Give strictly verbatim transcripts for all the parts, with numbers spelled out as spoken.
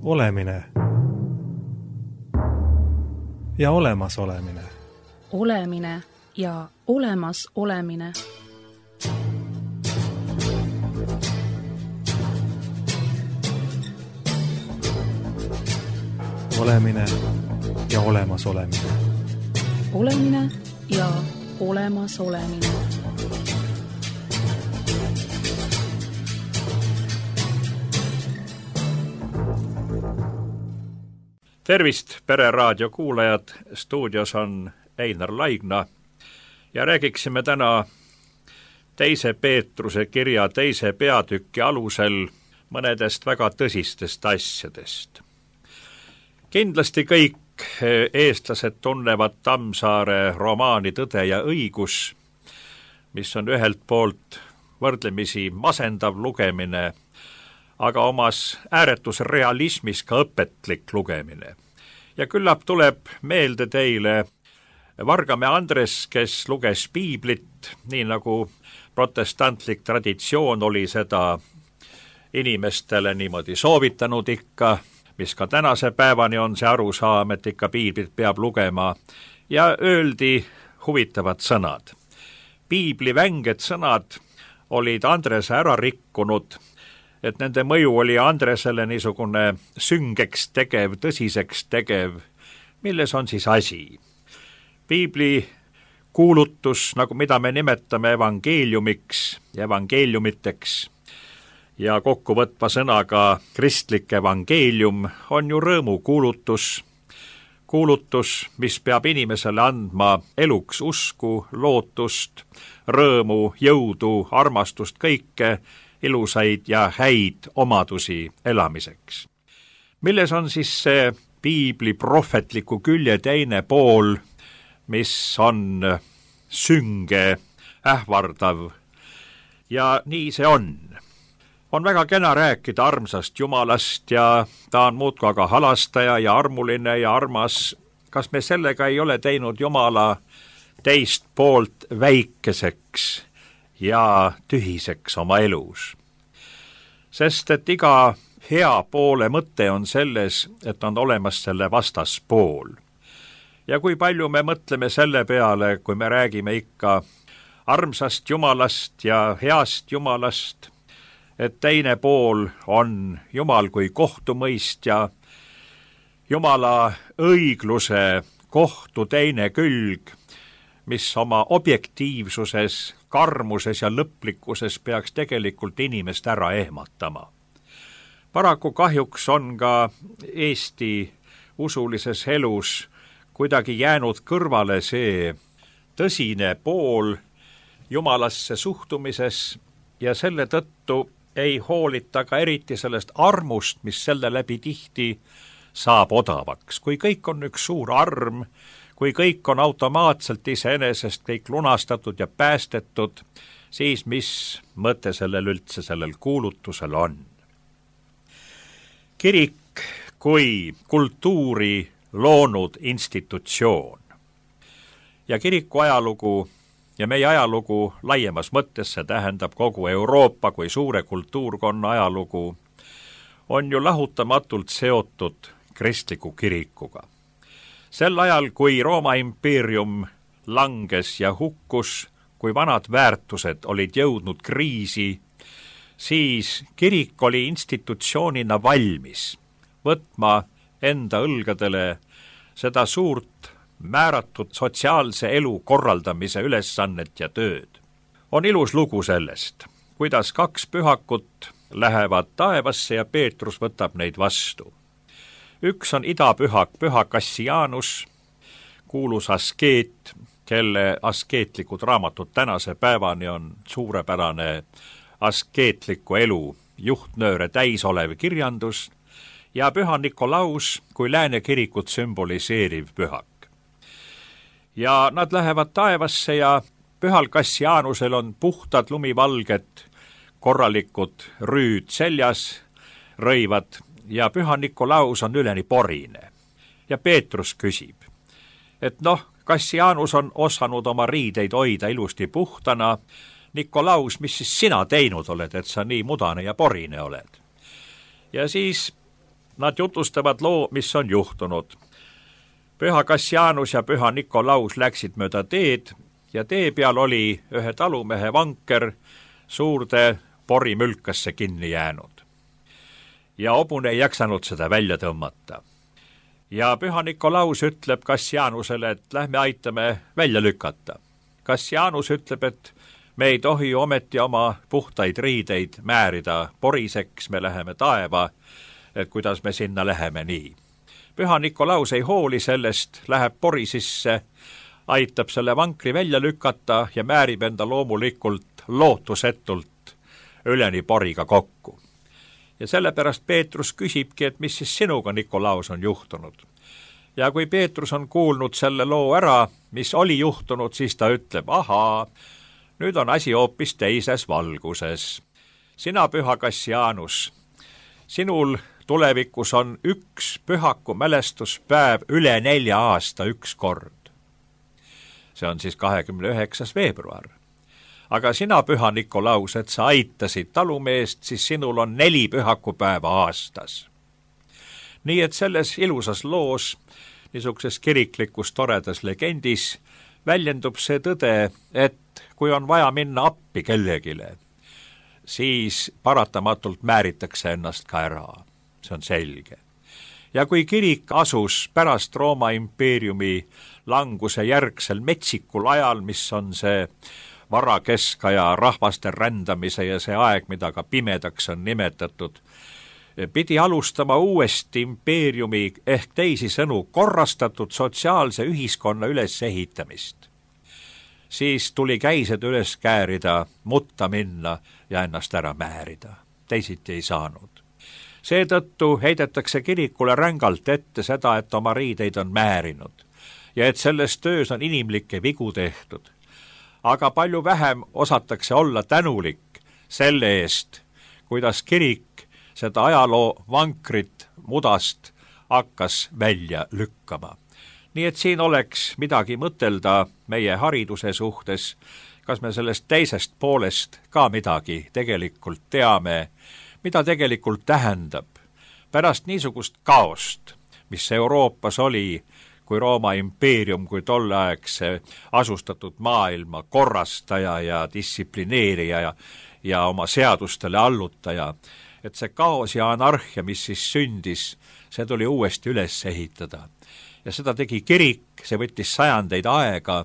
Olemine ja olemas olemine. Olemine ja olemas olemine. Olemine ja olemas olemine. Olemine ja olemas olemine. Tervist, Pereraadio kuulajad! Stuudios on Einar Laigna ja räägiksime täna teise Peetruse kirja teise peatüki alusel mõnedest väga tõsistest asjadest. Kindlasti kõik eestlased tunnevad Tammsaare romaani Tõde ja õigus, mis on ühelt poolt võrdlemisi masendav lugemine, aga omas ääretus realismis ka õpetlik lugemine. Ja küllap tuleb meelde teile Vargamäe Andres, kes luges piiblit, nii nagu protestantlik traditsioon oli seda inimestele niimoodi soovitanud ikka, mis ka tänase päevani on see arusaam, et ikka piiblit peab lugema, ja öeldi huvitavad sõnad. Piibli vänged sõnad olid Andrese ära rikkunud, et nende mõju oli Andresele niisugune süngeks tegev, tõsiseks tegev, milles on siis asi. Piibli kuulutus, nagu mida me nimetame evangeeliumiks, evangeeliumiteks ja kokkuvõtva sõnaga kristlik evangeelium, on ju rõõmu kuulutus, kuulutus, mis peab inimesele andma eluks usku, lootust, rõõmu, jõudu, armastust, kõike, ilusaid ja häid omadusi elamiseks. Milles on siis see piibli prohvetliku külje teine pool, mis on sünge, ähvardav, ja nii see on. On väga kena rääkida armsast Jumalast ja ta on muudkui aga halastaja ja armuline ja armas. Kas me sellega ei ole teinud Jumala teist poolt väikeseks ja tühiseks oma elus? Sest et iga hea poole mõte on selles, et on olemas selle vastaspool. Ja kui palju me mõtleme selle peale, kui me räägime ikka armsast Jumalast ja heast Jumalast, et teine pool on Jumal kui kohtumõistja, Jumala õigluse kohtu teine külg, mis oma objektiivsuses, karmuses ja lõplikkuses peaks tegelikult inimest ära ehmatama. Paraku kahjuks on ka Eesti usulises elus kuidagi jäänud kõrvale see tõsine pool Jumalasse suhtumises ja selle tõttu ei hoolita ka eriti sellest armust, mis selle läbi tihti saab odavaks. Kui kõik on üks suur arm, kui kõik on automaatselt iseenesest kõik lunastatud ja päästetud, siis mis mõte sellel üldse sellel kuulutusel on? Kirik kui kultuuri loonud institutsioon ja kiriku ajalugu ja meie ajalugu laiemas mõttes, see tähendab kogu Euroopa kui suure kultuurkonna ajalugu, on ju lahutamatult seotud kristliku kirikuga. Sel ajal, kui Rooma impeerium langes ja hukkus, kui vanad väärtused olid jõudnud kriisi, siis kirik oli institutsioonina valmis võtma enda õlgadele seda suurt määratud sotsiaalse elu korraldamise ülesannet ja tööd. On ilus lugu sellest, kuidas kaks pühakut lähevad taevasse ja Peetrus võtab neid vastu. Üks on idapühak, püha Kassianus, kuulus askeet, kelle askeetlikud raamatud tänase päevani on suurepärane askeetliku elu juhtnööre täis olev kirjandus, ja püha Nikolaus kui lääne kirikut sümboliseeriv pühak. Ja nad lähevad taevasse ja pühal Kassianusel on puhtad lumivalged, korralikud rüüd seljas, rõivad, ja püha Nikolaus on üleni porine. Ja Peetrus küsib, et noh, Kassianus on osanud oma riideid hoida ilusti puhtana, Nikolaus, mis siis sina teinud oled, et sa nii mudane ja porine oled? Ja siis nad jutustavad loo, mis on juhtunud. Püha Kassianus ja püha Nikolaus läksid mööda teed ja tee peal oli ühe talumehe vanker suurde porimülkasse kinni jäänud. Ja hobune ei jaksanud seda välja tõmmata. Ja püha Nikolaus ütleb Kassianusele, et lähme aitame välja lükata. Kassianus ütleb, et me ei tohi ometi oma puhtaid riideid määrida poriseks, me läheme taeva, et kuidas me sinna läheme nii. Püha Nikolaus ei hooli sellest, läheb pori sisse, aitab selle vankri välja lükata ja määrib enda loomulikult lootusetult üleni poriga kokku. Ja sellepärast Peetrus küsibki, et mis siis sinuga, Nikolaus, on juhtunud. Ja kui Peetrus on kuulnud selle loo ära, mis oli juhtunud, siis ta ütleb, ahaa, nüüd on asi hoopis teises valguses. Sina, püha Kassianus, sinul tulevikus on üks pühaku mälestuspäev üle nelja aasta üks kord. See on siis kahekümne üheksas veebruar. Aga sina, püha Nikolaus, et sa aitasid talumeest, siis sinul on neli pühakupäeva aastas. Nii et selles ilusas loos, niisuguses kiriklikus toredas legendis, väljendub see tõde, et kui on vaja minna appi kellegile, siis paratamatult määritakse ennast ka ära. See on selge. Ja kui kirik asus pärast Rooma impeeriumi languse järgsel metsikul ajal, mis on see varakeskaja rahvaste rändamise ja see aeg, mida ka pimedaks on nimetatud, pidi alustama uuesti impeeriumi ehk teisisõnu korrastatud sotsiaalse ühiskonna ülesehitamist. Siis tuli käised üles käärida, mutta minna ja ennast ära määrida. Teisiti ei saanud. Seetõttu heidetakse kirikule rängalt ette seda, et oma riideid on määrinud ja et selles töös on inimlikke vigu tehtud. Aga palju vähem osatakse olla tänulik selle eest, kuidas kirik seda ajaloo vankrit mudast hakkas välja lükkama. Nii et siin oleks midagi mõtelda meie hariduse suhtes, kas me sellest teisest poolest ka midagi tegelikult teame, mida tegelikult tähendab pärast niisugust kaost, mis Euroopas oli, kui Rooma impeerium, kui tolleaegse asustatud maailma korrastaja ja distsiplineerija ja, ja oma seadustele allutaja, et see kaos ja anarhia, mis siis sündis, see tuli uuesti üles ehitada. Ja seda tegi kirik, see võttis sajandeid aega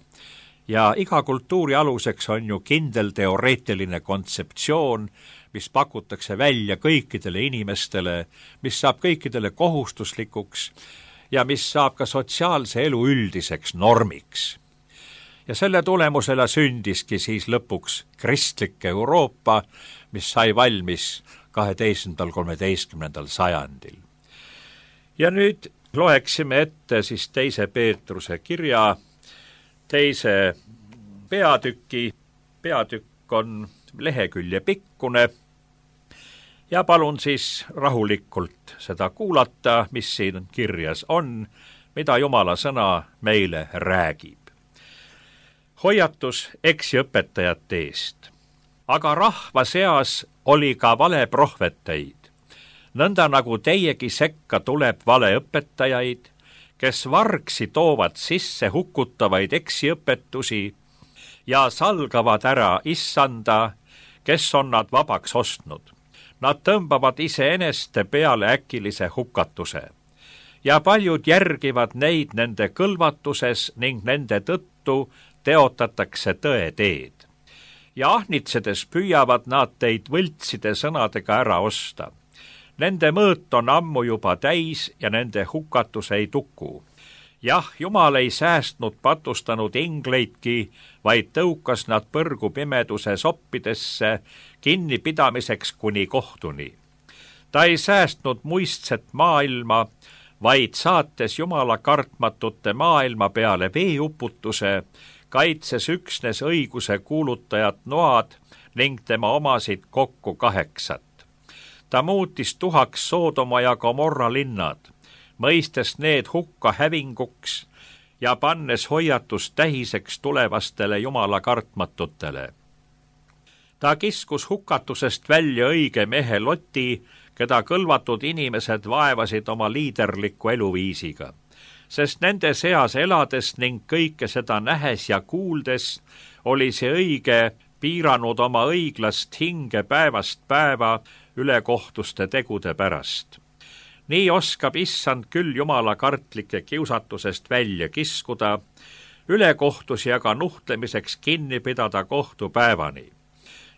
ja iga kultuuri aluseks on ju kindel teoreetiline kontseptsioon, mis pakutakse välja kõikidele inimestele, mis saab kõikidele kohustuslikuks ja mis saab ka sotsiaalse elu üldiseks normiks. Ja selle tulemusele sündiski siis lõpuks kristlik Euroopa, mis sai valmis kaheteistkümnendal kolmeteistkümnendal sajandil. Ja nüüd loeksime ette siis teise Peetruse kirja, teise peatüki, peatükk on lehekülje pikkune ja palun siis rahulikult seda kuulata, mis siin kirjas on, mida Jumala sõna meile räägib. Hoiatus eksiõpetajate eest. Aga rahva seas oli ka valeprohveteid, nõnda nagu teiegi sekka tuleb valeõpetajaid, kes vargsi toovad sisse hukutavaid eksiõpetusi ja salgavad ära issanda, kes on nad vabaks ostnud. Nad tõmbavad iseeneste peale äkilise hukatuse ja paljud järgivad neid nende kõlvatuses ning nende tõttu teotatakse tõe teed. Ja ahnitsedes püüavad nad teid võltside sõnadega ära osta. Nende mõõt on ammu juba täis ja nende hukatus ei tuku. Jah, Jumal ei säästnud patustanud ingleidki, vaid tõukas nad põrgu pimeduse soppidesse kinnipidamiseks kuni kohtuni. Ta ei säästnud muistset maailma, vaid saates Jumala kartmatute maailma peale veeuputuse, kaitses üksnes õiguse kuulutajat Noad ning tema omasid kokku kaheksat. Ta muutis tuhaks Soodoma ja Gomorra linnad, mõistes need hukka hävinguks ja pannes hoiatust tähiseks tulevastele Jumala kartmatutele. Ta kiskus hukatusest välja õige mehe Loti, keda kõlvatud inimesed vaevasid oma liiderliku eluviisiga, sest nende seas elades ning kõike seda nähes ja kuuldes oli see õige piiranud oma õiglast hinge päevast päeva ülekohtuste tegude pärast. Nii oskab issand küll jumala kartlike kiusatusest välja kiskuda, ülekohtusi aga nuhtlemiseks kinni pidada kohtupäevani.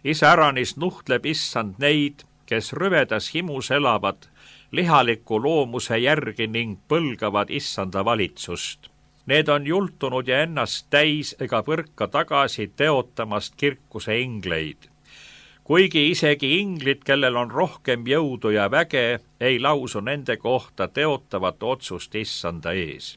Iseäranis nuhtleb issand neid, kes rüvedas himus elavad, lihaliku loomuse järgi ning põlgavad issanda valitsust. Need on jultunud ja ennast täis ega põrka tagasi teotamast kirkuse ingleid. Kuigi isegi inglid, kellel on rohkem jõudu ja väge, ei lausu nende kohta teotavat otsust issanda ees.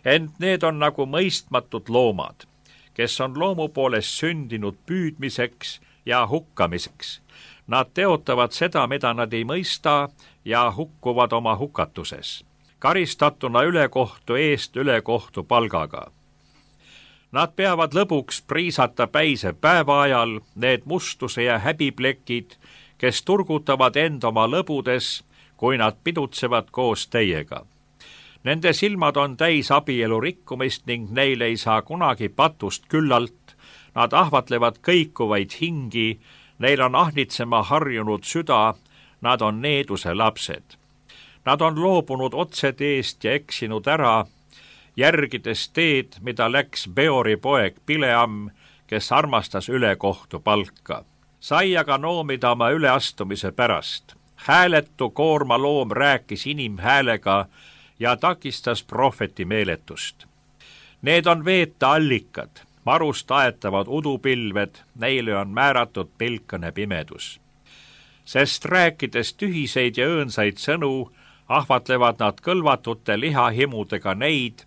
Ent need on nagu mõistmatud loomad, kes on loomu poolest sündinud püüdmiseks ja hukkamiseks. Nad teotavad seda, mida nad ei mõista ja hukkuvad oma hukatuses, karistatuna ülekohtu eest ülekohtu palgaga. Nad peavad lõbuks priisata päise päeva ajal need mustuse ja häbiplekid, kes turgutavad end oma lõbudes, kui nad pidutsevad koos teiega. Nende silmad on täis abielu rikkumist ning neil ei saa kunagi patust küllalt, nad ahvatlevad kõikuvaid hingi, neil on ahnitsema harjunud süda, nad on needuse lapsed. Nad on loobunud otseteest ja eksinud ära, järgides teed, mida läks Beori poeg Bileam, kes armastas ülekohtu palka. Sai aga noomida oma üleastumise pärast. Hääletu koormaloom rääkis inimhäälega ja takistas prohveti meeletust. Need on veeta allikad, marust aetavad udupilved, neile on määratud pilkane pimedus. Sest rääkides tühiseid ja õõnsaid sõnu, ahvatlevad nad kõlvatute lihahimudega neid,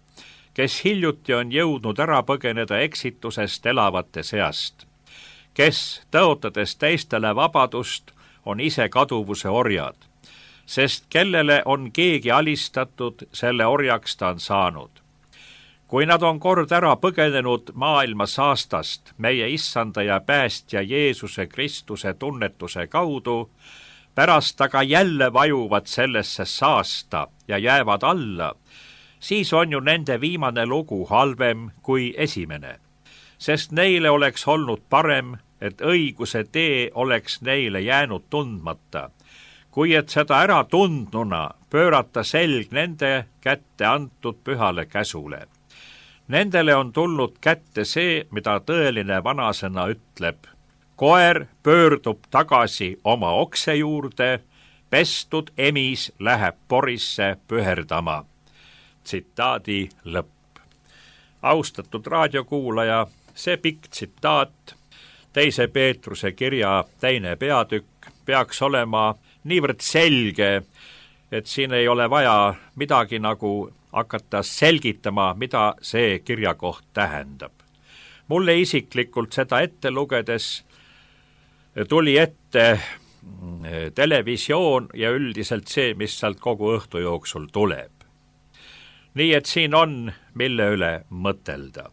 kes hiljuti on jõudnud ära põgeneda eksitusest elavate seast, kes, tõotades teistele vabadust, on ise kaduvuse orjad, sest kellele on keegi alistatud, selle orjaks ta on saanud. Kui nad on kord ära põgenenud maailma saastast, meie issanda ja päästja Jeesuse Kristuse tunnetuse kaudu, pärast aga jälle vajuvad sellesse saasta ja jäävad alla, siis on ju nende viimane lugu halvem kui esimene, sest neile oleks olnud parem, et õiguse tee oleks neile jäänud tundmata, kui et seda ära tundnuna pöörata selg nende kätte antud pühale käsule. Nendele on tulnud kätte see, mida tõeline vanasõna ütleb. Koer pöördub tagasi oma okse juurde, pestud emis läheb porisse püherdama. Tsitaadi lõpp. Austatud raadiokuulaja, see pikk tsitaat, teise Peetruse kirja teine peatükk, peaks olema niivõrd selge, et siin ei ole vaja midagi nagu hakata selgitama, mida see kirjakoht tähendab. Mulle isiklikult seda ette lugedes tuli ette televisioon ja üldiselt see, mis sealt kogu õhtu jooksul tuleb. Nii et siin on, mille üle mõtelda.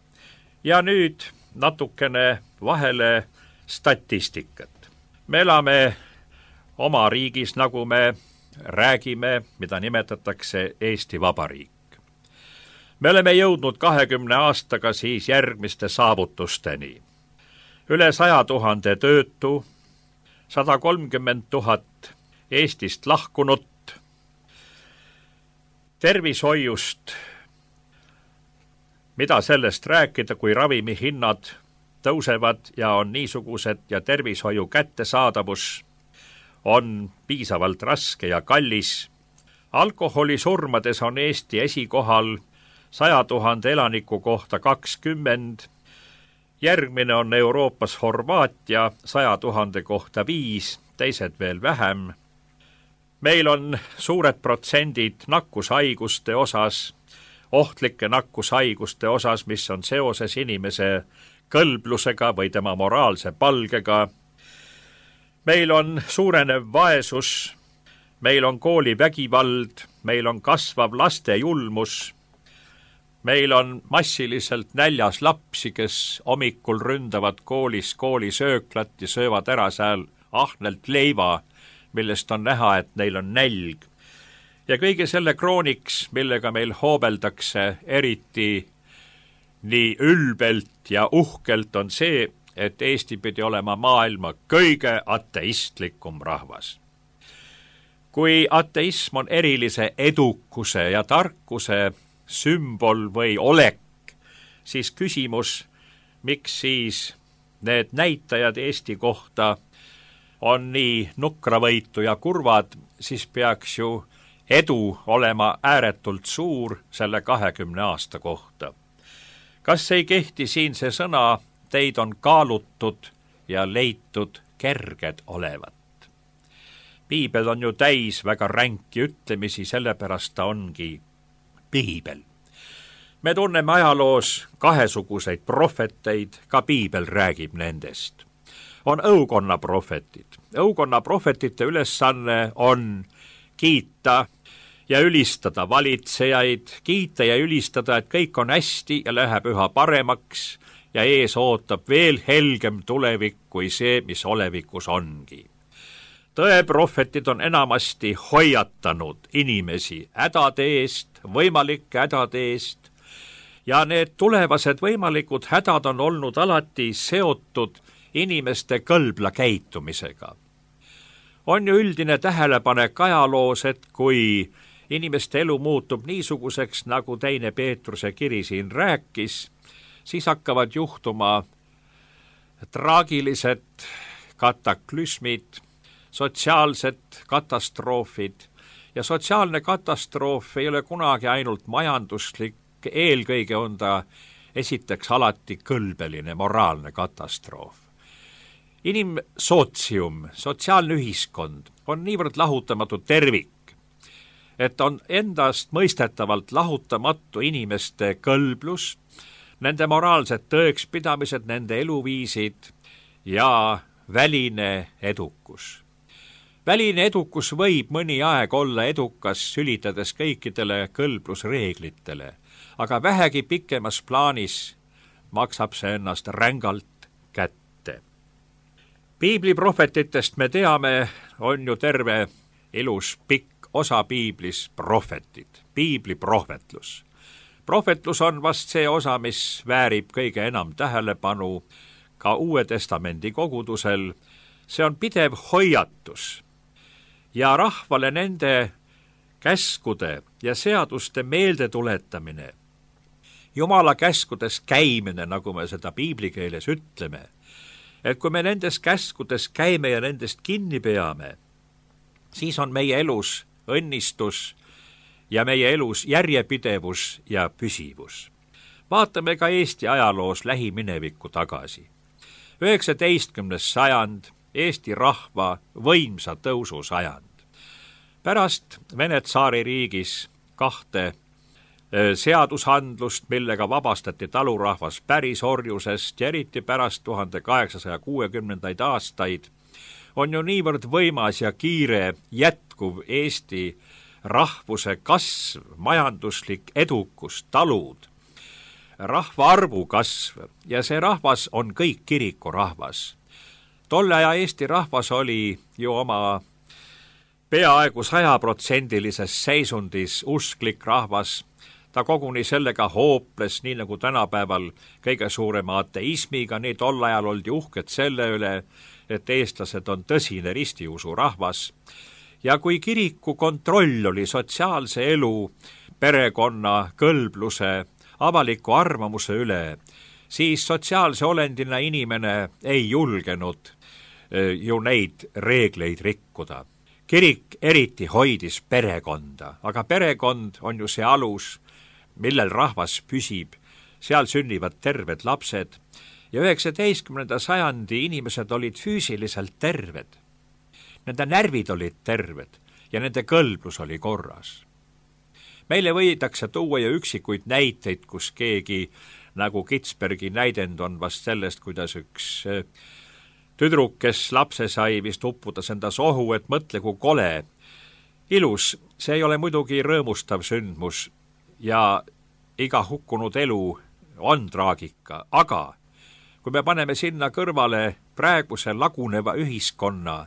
Ja nüüd natukene vahele statistikat. Me elame oma riigis, nagu me räägime, mida nimetatakse Eesti Vabariik. Me oleme jõudnud kahekümne aastaga siis järgmiste saavutusteni. Üle saja tuhande töötu, sada kolmkümmend tuhat Eestist lahkunut, tervishoiust, mida sellest rääkida, kui ravimihinnad tõusevad ja on niisugused ja tervishoiu kättesaadavus on piisavalt raske ja kallis. Alkoholisurmades on Eesti esikohal saja tuhande elaniku kohta kakskümmend, järgmine on Euroopas Horvaatia saja tuhande kohta viis, teised veel vähem. Meil on suured protsendid nakkushaiguste osas, ohtlike nakkushaiguste osas, mis on seoses inimese kõlblusega või tema moraalse palgega. Meil on suurenev vaesus, meil on koolivägivald, meil on kasvav laste julmus, meil on massiliselt näljas lapsi, kes hommikul ründavad koolis koolisööklat ja söövad ära seal ahnelt leiva, millest on näha, et neil on nälg. Ja kõige selle krooniks, millega meil hoobeldakse eriti nii ülbelt ja uhkelt, on see, et Eesti pidi olema maailma kõige ateistlikum rahvas. Kui ateism on erilise edukuse ja tarkuse sümbol või olek, siis küsimus, miks siis need näitajad Eesti kohta on nii nukravõitu ja kurvad, siis peaks ju edu olema ääretult suur selle kahekümne aasta kohta. Kas ei kehti siin see sõna, teid on kaalutud ja leitud kerged olevat? Piibel on ju täis väga ränki ütlemisi, sellepärast ta ongi piibel. Me tunneme ajaloos kahesuguseid prohveteid, ka piibel räägib nendest. On õukonna prohvetid. Õukonna prohvetite ülesanne on kiita ja ülistada valitsejaid, kiita ja ülistada, et kõik on hästi ja läheb üha paremaks ja ees ootab veel helgem tulevik kui see, mis olevikus ongi. Tõeprohvetid on enamasti hoiatanud inimesi hädade eest, võimalike hädade eest, ja need tulevased võimalikud hädad on olnud alati seotud inimeste kõlbla käitumisega. On ju üldine tähelepanek ajaloos, et kui inimeste elu muutub niisuguseks, nagu teine Peetruse kiri siin rääkis, siis hakkavad juhtuma traagilised kataklüsmid, sotsiaalsed katastroofid, ja sotsiaalne katastroof ei ole kunagi ainult majanduslik, eelkõige on ta esiteks alati kõlbeline, moraalne katastroof. Inimsootsium, sotsiaalne ühiskond on niivõrd lahutamatu tervik, et on endast mõistetavalt lahutamatu inimeste kõlblus, nende moraalsed tõekspidamised, nende eluviisid ja väline edukus. Väline edukus võib mõni aeg olla edukas, sülitades kõikidele kõlblusreeglitele, aga vähegi pikemas plaanis maksab see ennast rängalt kätte. Piibli prohvetitest me teame, on ju terve ilus pikk osa piiblis prohvetid, piibli prohvetlus. Prohvetlus on vast see osa, mis väärib kõige enam tähelepanu ka Uue Testamendi kogudusel. See on pidev hoiatus ja rahvale nende käskude ja seaduste meeldetuletamine, Jumala käskudes käimine, nagu me seda piibli keeles ütleme, et kui me nendes käskudes käime ja nendest kinni peame, siis on meie elus õnnistus ja meie elus järjepidevus ja püsivus. Vaatame ka Eesti ajaloos lähiminevikku tagasi. üheksateistkümnes sajand, Eesti rahva võimsa tõusu sajand. Pärast Vene tsaaririigis kahte seadushandlust, millega vabastati talurahvas pärisorjusest ja eriti pärast tuhande kaheksasaja kuuekümnendaid aastaid, on ju niivõrd võimas ja kiire jätkuv Eesti rahvuse kasv, majanduslik edukus, talud, rahvaarvu kasv ja see rahvas on kõik kirikurahvas. Tolle aja Eesti rahvas oli ju oma peaaegu sajaprotsendilises seisundis usklik rahvas. Ta koguni sellega hooples, nii nagu tänapäeval kõige suurema ateismiga, nii tol ajal oldi uhked selle üle, et eestlased on tõsine ristiusu rahvas. Ja kui kiriku kontroll oli sotsiaalse elu, perekonna, kõlbluse, avaliku arvamuse üle, siis sotsiaalse olendina inimene ei julgenud ju neid reegleid rikkuda. Kirik eriti hoidis perekonda, aga perekond on ju see alus, millel rahvas püsib, seal sünnivad terved lapsed ja üheksateistkümnenda sajandi inimesed olid füüsiliselt terved. Nende närvid olid terved ja nende kõlblus oli korras. Meile võidakse tuua ju üksikuid näiteid, kus keegi, nagu Kitsbergi näidend on vast sellest, kuidas üks tüdruk, kes lapse sai, vist uppudas enda sohu, et mõtle, kui kole. Ilus, see ei ole muidugi rõõmustav sündmus ja iga hukkunud elu on traagika, aga kui me paneme sinna kõrvale praeguse laguneva ühiskonna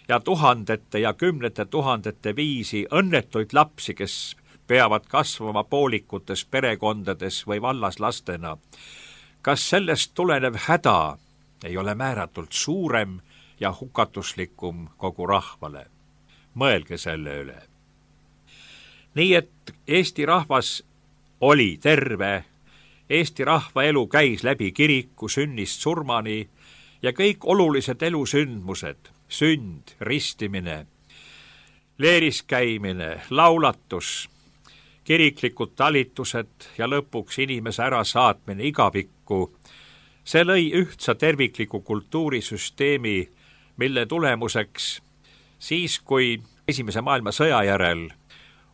ja tuhandete ja kümnete tuhandete viisi õnnetuid lapsi, kes peavad kasvama poolikutes perekondades või vallaslastena. Kas sellest tulenev häda ei ole määratult suurem ja hukatuslikum kogu rahvale? Mõelge selle üle. Nii et Eesti rahvas oli terve, Eesti rahva elu käis läbi kiriku sünnist surmani ja kõik olulised elusündmused, sünd, ristimine, leeris käimine, laulatus, kiriklikud talitused ja lõpuks inimese ärasaatmine igavikku, see lõi ühtsa tervikliku kultuurisüsteemi, mille tulemuseks siis, kui esimese maailmasõja järel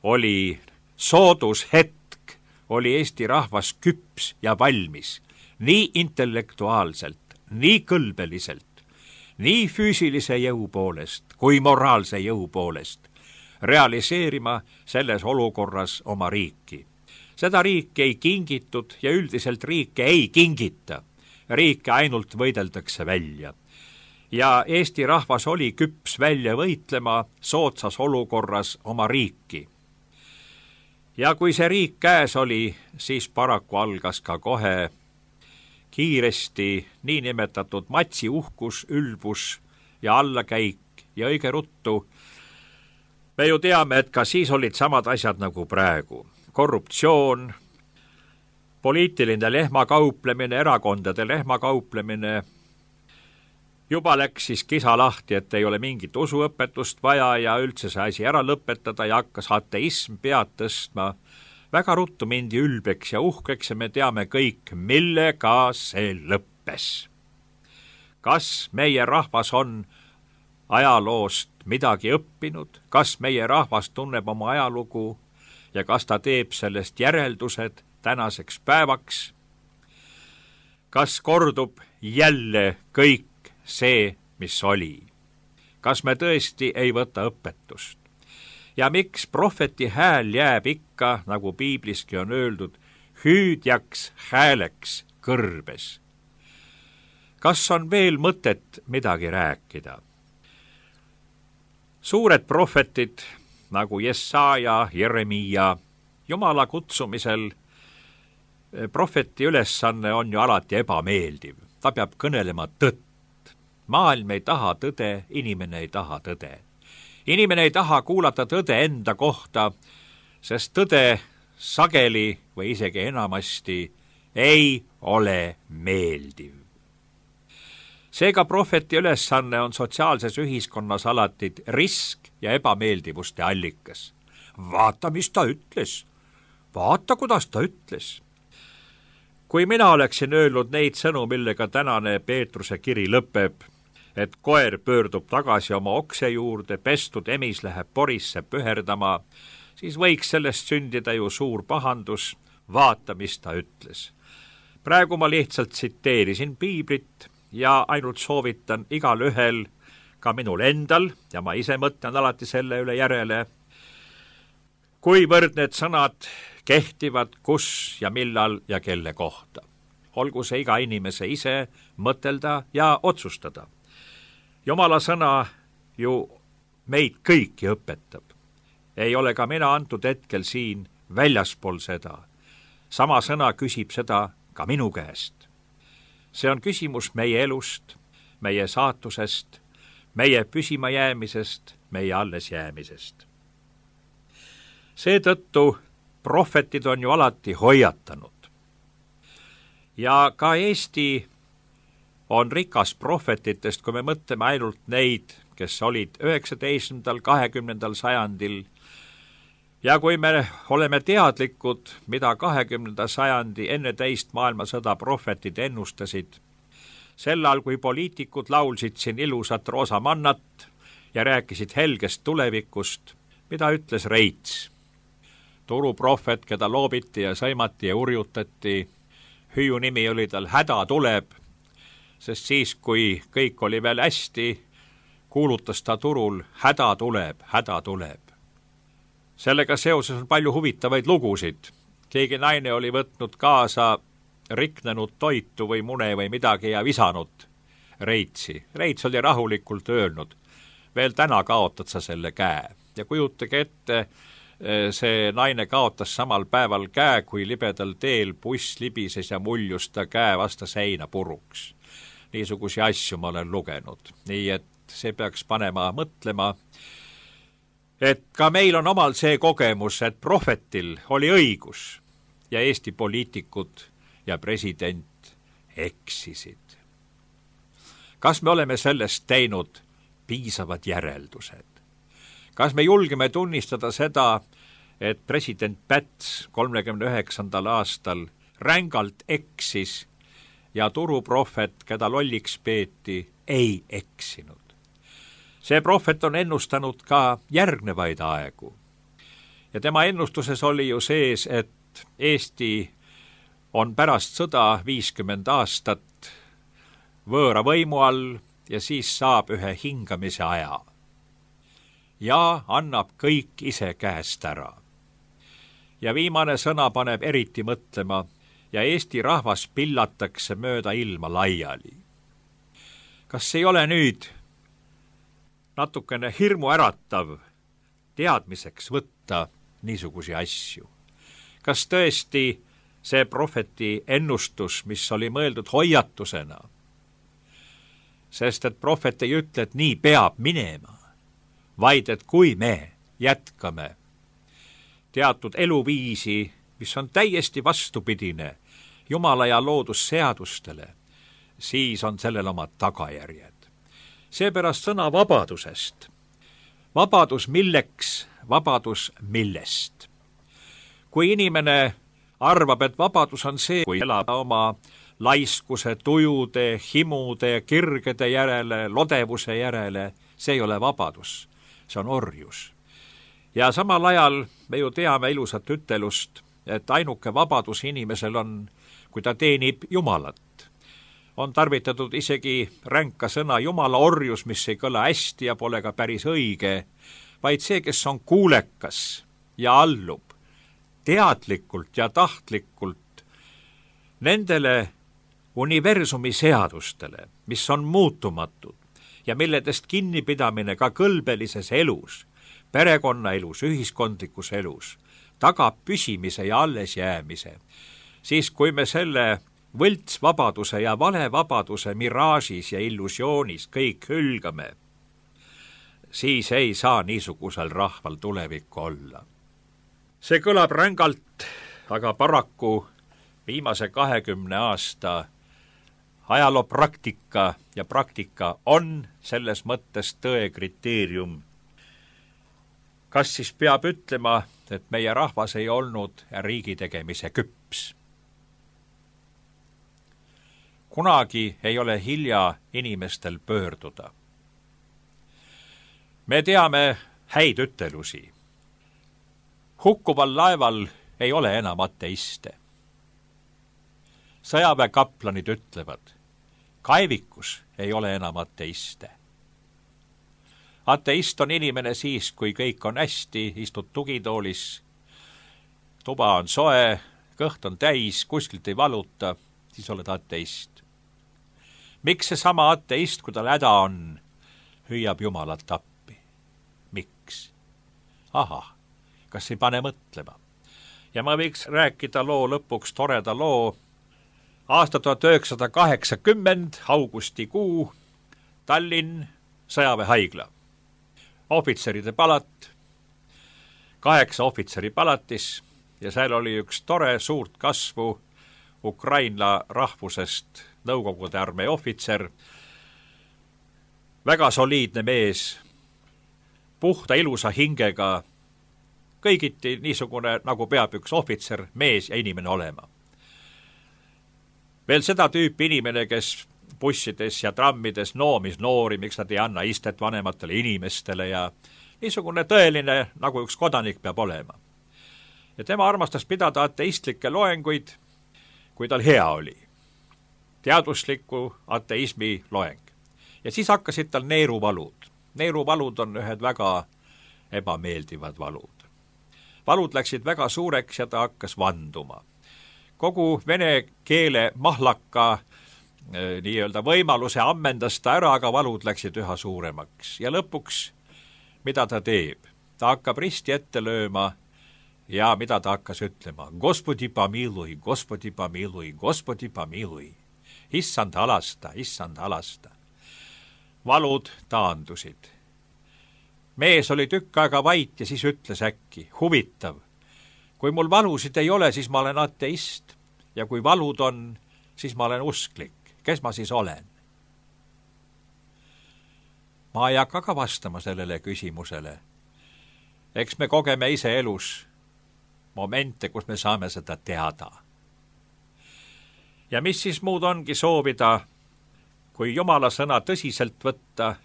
oli soodus hetk, oli Eesti rahvas küps ja valmis nii intellektuaalselt, nii kõlbeliselt, nii füüsilise jõu poolest kui moraalse jõu poolest realiseerima selles olukorras oma riiki. Seda riiki ei kingitud ja üldiselt riike ei kingita. Riike ainult võideldakse välja. Ja Eesti rahvas oli küps välja võitlema soodsas olukorras oma riiki. Ja kui see riik käes oli, siis paraku algas ka kohe kiiresti niinimetatud matsi uhkus, ülbus ja allakäik ja õige ruttu. Me ju teame, et ka siis olid samad asjad nagu praegu. Korruptsioon, poliitiline lehmakauplemine, erakondade lehmakauplemine. Juba läks siis kisa lahti, et ei ole mingit usuõpetust vaja ja üldse see asi ära lõpetada ja hakkas ateism pead tõstma. Väga ruttu mindi ülbeks ja uhkeks ja me teame kõik, millega see lõppes. Kas meie rahvas on ajaloost midagi õppinud, kas meie rahvas tunneb oma ajalugu ja kas ta teeb sellest järeldused tänaseks päevaks? Kas kordub jälle kõik see, mis oli? Kas me tõesti ei võta õpetust? Ja miks prohveti hääl jääb ikka, nagu piibliski on öeldud, hüüdjaks hääleks kõrbes? Kas on veel mõtet midagi rääkida? Suured prohvetid, nagu Jesaja, Jeremia, Jumala kutsumisel, prohveti ülesanne on ju alati ebameeldiv. Ta peab kõnelema tõtt. Maailm ei taha tõde, inimene ei taha tõde. Inimene ei taha kuulata tõde enda kohta, sest tõde sageli või isegi enamasti ei ole meeldiv. Seega prohveti ülesanne on sotsiaalses ühiskonnas alati risk ja ebameeldivuste allikas. Vaata, mis ta ütles. Vaata, kuidas ta ütles. Kui mina oleksin öelnud neid sõnu, millega tänane Peetruse kiri lõpeb, et koer pöördub tagasi oma okse juurde, pestud emis läheb porisse püherdama, siis võiks sellest sündida ju suur pahandus. Vaata, mis ta ütles. Praegu ma lihtsalt tsiteerisin piiblit ja ainult soovitan igal ühel, ka minul endal, ja ma ise mõtlen alati selle üle järele, kuivõrd need sõnad kehtivad, kus ja millal ja kelle kohta. Olgu see iga inimese ise mõtelda ja otsustada. Jumala sõna ju meid kõiki õpetab. Ei ole ka mina antud hetkel siin väljaspool seda. Sama sõna küsib seda ka minu käest. See on küsimus meie elust, meie saatusest, meie püsima jäämisest, meie alles jäämisest. Seetõttu prohvetid on ju alati hoiatanud. Ja ka Eesti on rikas prohvetitest, kui me mõtleme ainult neid, kes olid üheksateistkümnendal, kahekümnendal sajandil. Ja kui me oleme teadlikud, mida kahekümnenda sajandi enne teist maailmasõda prohvetid ennustasid, sel ajal, kui poliitikud laulsid siin ilusat roosamannat ja rääkisid helgest tulevikust, mida ütles Reits. Turuprohvet, keda loobiti ja sõimati ja urjutati, hüüu nimi oli tal Häda tuleb, sest siis, kui kõik oli veel hästi, kuulutas ta turul Häda tuleb, häda tuleb. Sellega seoses on palju huvitavaid lugusid. Keegi naine oli võtnud kaasa riknenud toitu või mune või midagi ja visanud Reitsi. Reits oli rahulikult öelnud, veel täna kaotad sa selle käe. Ja kujutage ette, see naine kaotas samal päeval käe, kui libedal teel buss libises ja muljus ta käe vasta seina puruks. Niisugusi asju ma olen lugenud. Nii et see peaks panema mõtlema, et ka meil on omal see kogemus, et prohvetil oli õigus ja Eesti poliitikud ja president eksisid. Kas me oleme sellest teinud piisavad järeldused? Kas me julgeme tunnistada seda, et president Päts kolmekümne üheksandal aastal rängalt eksis ja turuprohvet, keda lolliks peeti, ei eksinud? See prohvet on ennustanud ka järgnevaid aegu. Ja tema ennustuses oli ju sees, et Eesti on pärast sõda viiskümmend aastat võõra võimu all ja siis saab ühe hingamise aja. Ja annab kõik ise käest ära. Ja viimane sõna paneb eriti mõtlema ja Eesti rahvas pillatakse mööda ilma laiali. Kas ei ole nüüd natukene hirmu äratav teadmiseks võtta niisugusi asju? Kas tõesti see prohveti ennustus, mis oli mõeldud hoiatusena, sest et prohvet ei ütle, et nii peab minema, vaid et kui me jätkame teatud eluviisi, mis on täiesti vastupidine Jumala ja loodusseadustele, siis on sellel omad tagajärjed. Seepärast sõna vabadusest. Vabadus milleks, vabadus millest. Kui inimene arvab, et vabadus on see, kui elab oma laiskuse, tujude, himude, kirgede järele, lodevuse järele, see ei ole vabadus, see on orjus. Ja samal ajal me ju teame ilusat ütelust, et ainuke vabadus inimesel on, kui ta teenib Jumalat. On tarvitatud isegi ränka sõna Jumala orjus, mis ei kõla hästi ja pole ka päris õige, vaid see, kes on kuulekas ja allub teadlikult ja tahtlikult nendele universumi seadustele, mis on muutumatud ja milledest kinnipidamine ka kõlbelises elus, perekonnaelus, ühiskondlikus elus, tagab püsimise ja allesjäämise, siis kui me selle võltsvabaduse ja valevabaduse miraažis ja illusioonis kõik hülgame, siis ei saa niisugusel rahval tulevikku olla. See kõlab rängalt, aga paraku viimase kahekümne aasta ajaloopraktika ja praktika on selles mõttes tõe kriteerium. Kas siis peab ütlema, et meie rahvas ei olnud riigi tegemise küps? Kunagi ei ole hilja inimestel pöörduda. Me teame häid ütelusi. Hukkuval laeval ei ole enam ateiste. Sõjaväekaplanid ütlevad, kaevikus ei ole enam ateiste. Ateist on inimene siis, kui kõik on hästi, istud tugitoolis, tuba on soe, kõht on täis, kuskilt ei valuta, siis oled ateist. Miks see sama ateist, kui tal häda on, hüüab Jumalat appi? Miks? Ahah, kas ei pane mõtlema? Ja ma võiks rääkida loo lõpuks toreda loo. Aasta tuhat üheksasada kaheksakümmend, augustikuu, Tallinn, sõjaväehaigla. Ohvitseride palat, kaheksa ohvitseri palatis ja seal oli üks tore suurt kasvu Ukraina rahvusest Nõukogude armee ohvitser, väga soliidne mees, puhta ilusa hingega, kõigiti niisugune, nagu peab üks ohvitser, mees ja inimene olema. Veel seda tüüpi inimene, kes bussides ja trammides noomis noori, miks nad ei anna istet vanematele inimestele ja niisugune tõeline, nagu üks kodanik peab olema. Ja tema armastas pidada ateistlikke loenguid, kui tal hea oli. Teadusliku ateismi loeng. Ja siis hakkasid tal neeruvalud. Neeruvalud on ühed väga ebameeldivad valud. Valud läksid väga suureks ja ta hakkas vanduma. Kogu vene keele mahlaka nii-öelda võimaluse ammendas ta ära, aga valud läksid üha suuremaks. Ja lõpuks, mida ta teeb? Ta hakkab risti ette lööma ja mida ta hakkas ütlema? Gospodi pomilui, Gospodi pomilui, Gospodi pomilui. Issand halasta, issand halasta. Valud taandusid. Mees oli tükk aega vait ja siis ütles äkki, huvitav, kui mul valusid ei ole, siis ma olen ateist ja kui valud on, siis ma olen usklik. Kes ma siis olen? Ma ei hakka ka vastama sellele küsimusele. Eks me kogeme ise elus momente, kus me saame seda teada. Ja mis siis muud ongi soovida, kui Jumala sõna tõsiselt võtta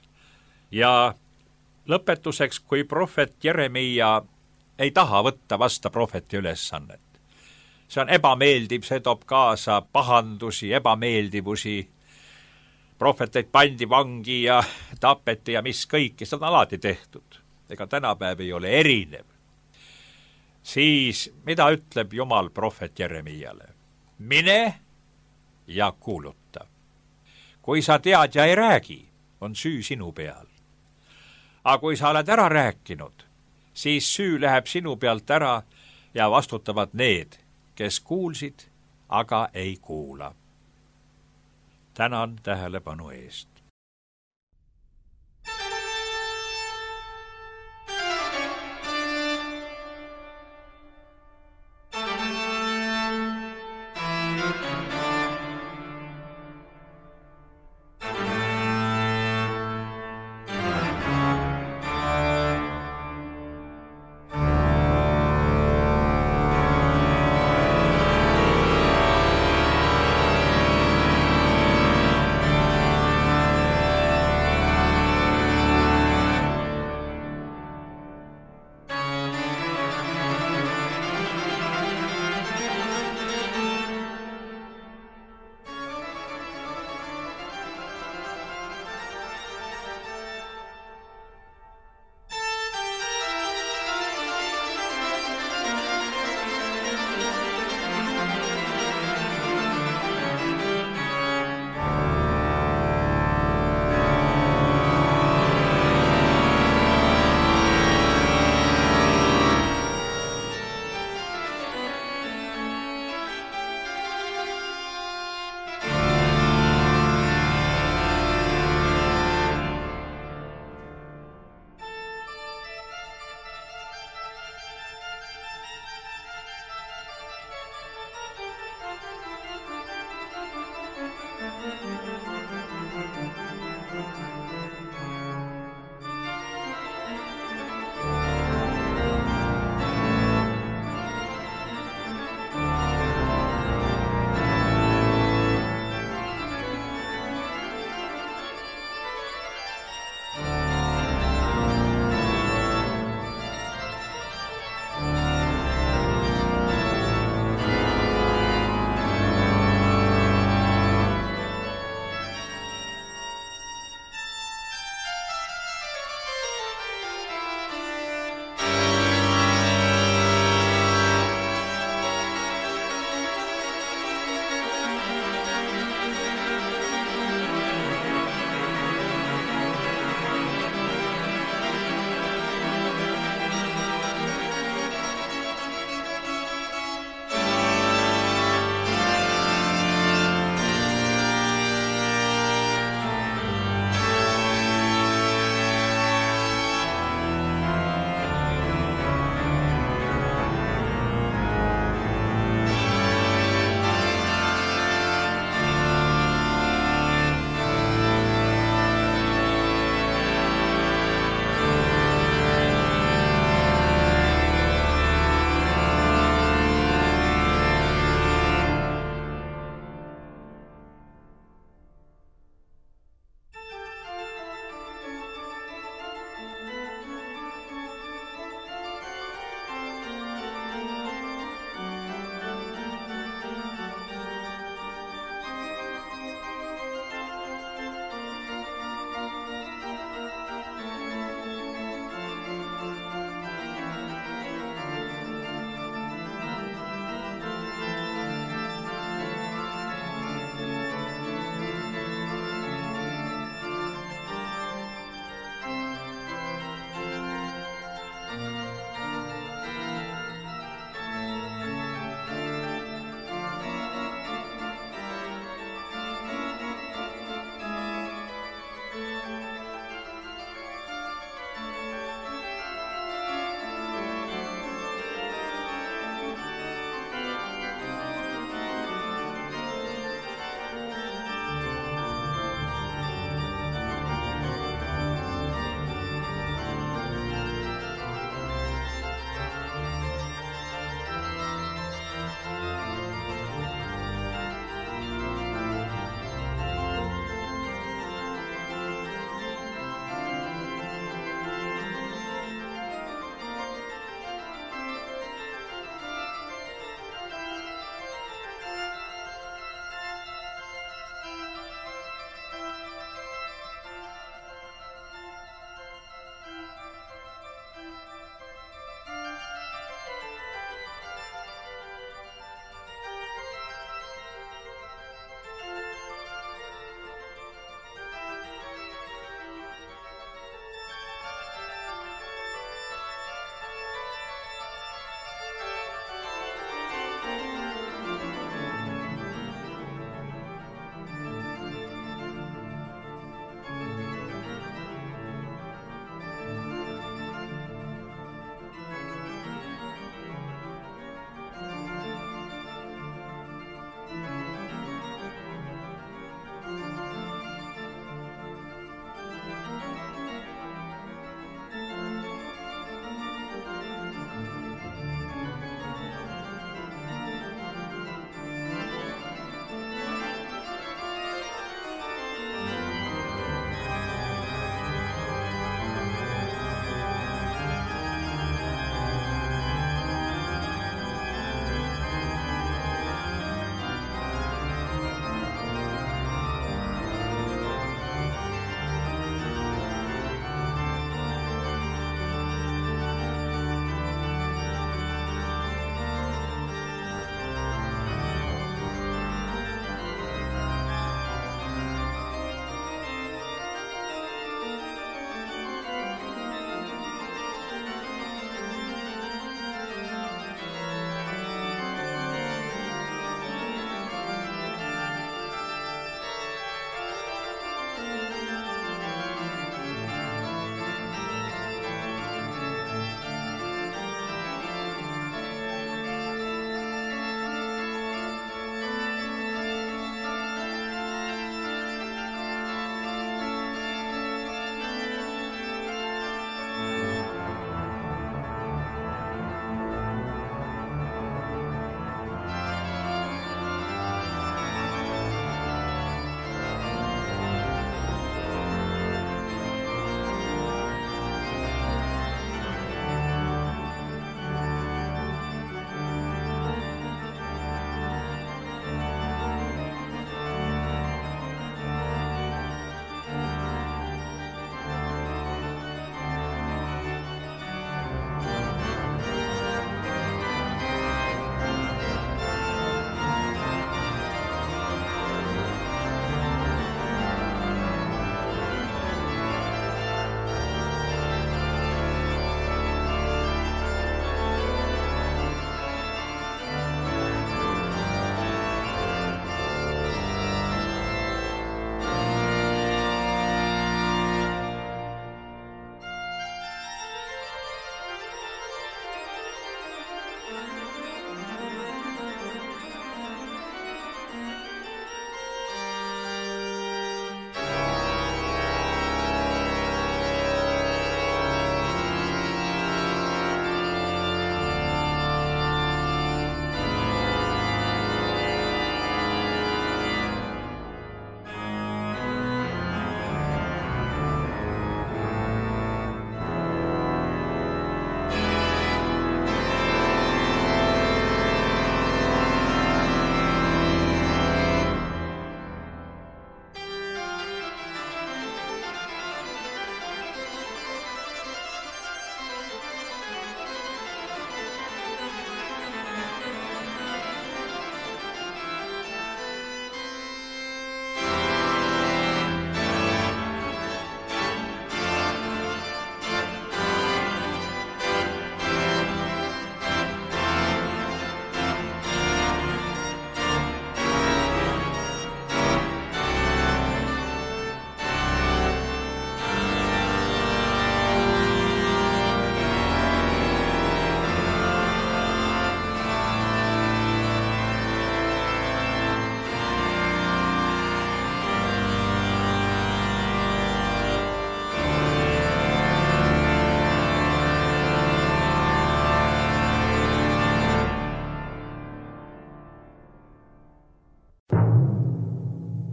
ja lõpetuseks, kui prohvet Jeremia ei taha võtta vasta prohveti ülesannet. See on ebameeldiv, see toob kaasa pahandusi, ebameeldivusi. Prohveteid pandi vangi ja tapeti ja mis kõiki, seda on alati tehtud. Ega tänapäev ei ole erinev. Siis, mida ütleb Jumal prohvet Jeremiale? Mine ja kuuluta. Kui sa tead ja ei räägi, on süü sinu peal. Aga kui sa oled ära rääkinud, siis süü läheb sinu pealt ära ja vastutavad need, kes kuulsid, aga ei kuula. Tänan tähelepanu eest.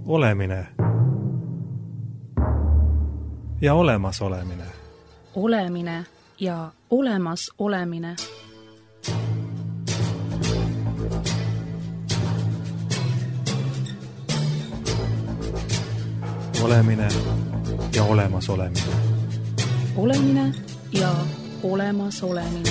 olemine ja olemasolemine. Olemine ja olemas olemine. Olemine ja olemasolemine. Olemine ja olemas olemine.